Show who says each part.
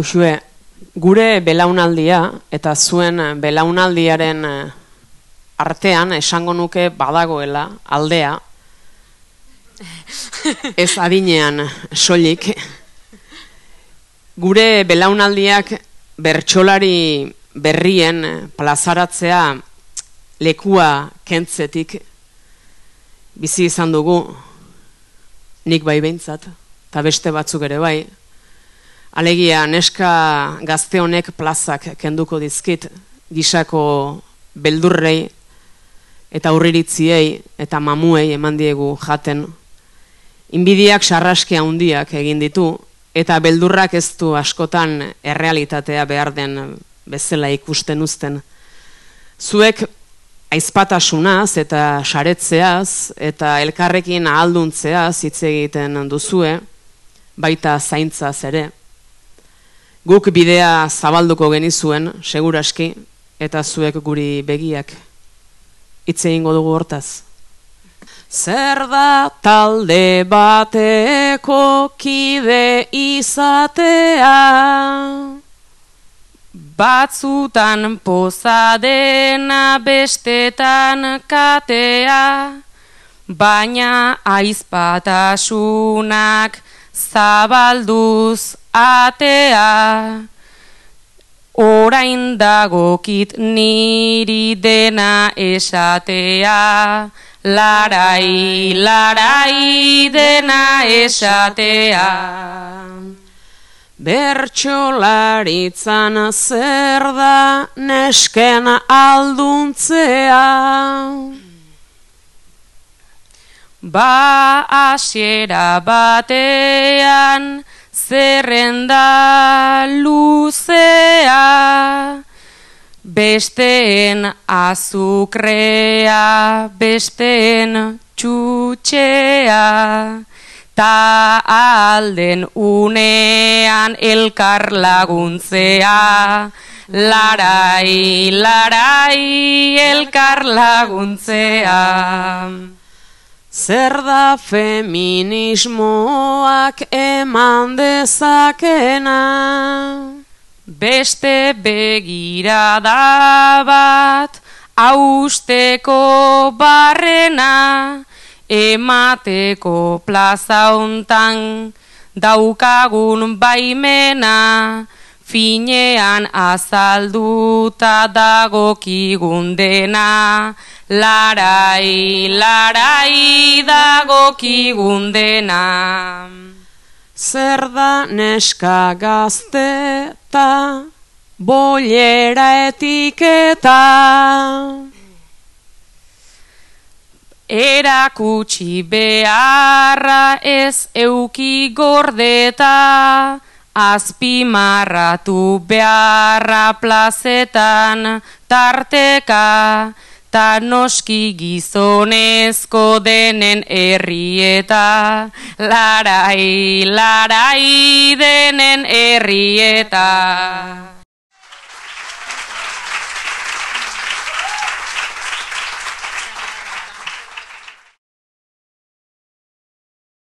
Speaker 1: Uxue, gure belaunaldia eta zuen belaunaldiaren artean esango nuke badagoela aldea, ez adinean soilik. Gure belaunaldiak bertsolari berrien plazaratzea lekua kentzetik bizi izan dugu, nik bai behintzat, eta beste batzuk ere bai. Alegia, neska gazte honek plazak kenduko dizkit, gisako beldurrei eta urriritziei eta mamuei eman diegu jaten. Inbidiak sarraski handiak egin ditu, eta beldurrak ez du askotan errealitatea behar den bezala ikusten uzten. Zuek aizpatasunaz eta saretzeaz eta elkarrekin ahalduntzeaz hitz egiten duzue, baita zaintzaz ere. Guk bidea zabalduko genizuen, seguraski, eta zuek guri begiak. Hitz egingo dugu hortaz. Zer da talde bateko kide izatea? Batzutan poza dena bestetan katea, baina aizpatasunak zabalduz atea. Orain dagokit niri dena esatea, larai, larai dena esatea. Bertsolaritzan zer da nesken alduntzea? Ba hasiera batean zerrenda luzea, besteen azukrea, besteen txutxea, ta alden unean elkar laguntzea, larai, larai elkar laguntzea. Zer da feminismoak eman dezakena? Beste begirada bat hausteko barrena, emateko plaza hontan daukagun baimena, finean azalduta dagokigun dena, larai, larai dagokigun dena. Zer da neska gazte eta bollera etiketa? Erakutsi beharra ez euki gordeta, azpimarratu beharra plazetan tarteka, ta noski gizonezko denen herrieta, larai, larai denen herrieta.